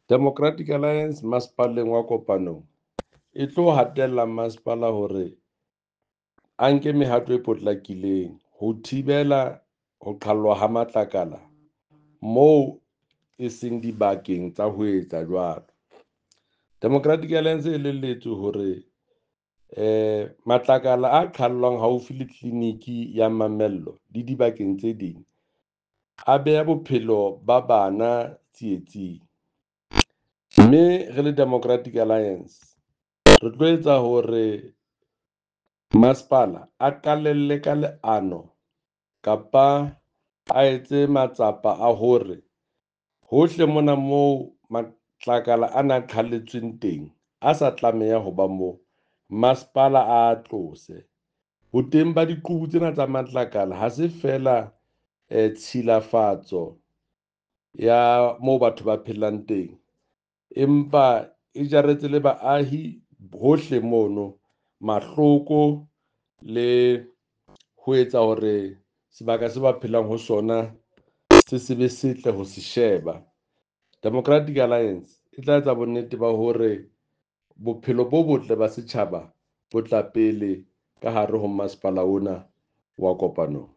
Democratic Alliance masepaleng wa Kopanong e tlo hatella masepala hore a nke mehato e potlakileng ho thibela ho qhallwa ha matlakala moo e seng dibakeng tsa ho etsa jwalo. Democratic Alliance e elelletswe hore matlakala a qhallwang haufi le tleliniki ya Mamello le dibakeng tse ding a beha bophelo ba bana tsietsing. Mme re le Democratic Alliance re tlo etsa hore masepala a qalelle ka leano kapa a etse matsapa a hore hohle mona moo matlakala ana a qhalletsweng teng, a sa tlameha ho ba moo, masepala a tlose. Boteng ba diqubu tsena tsa matlakala ha se feela tshilafatso ya moo batho ba phelang teng, empa e jaretse le baahi hohle mono mahloko le ho etsa hore sebaka se ba phelang ho sona se se be setle ho se sheba. Democratic Alliance e tla etsa bonnete ba hore bophelo bo botle ba setjhaba bo tla pele ka hare ho masepala ona wa Kopanong.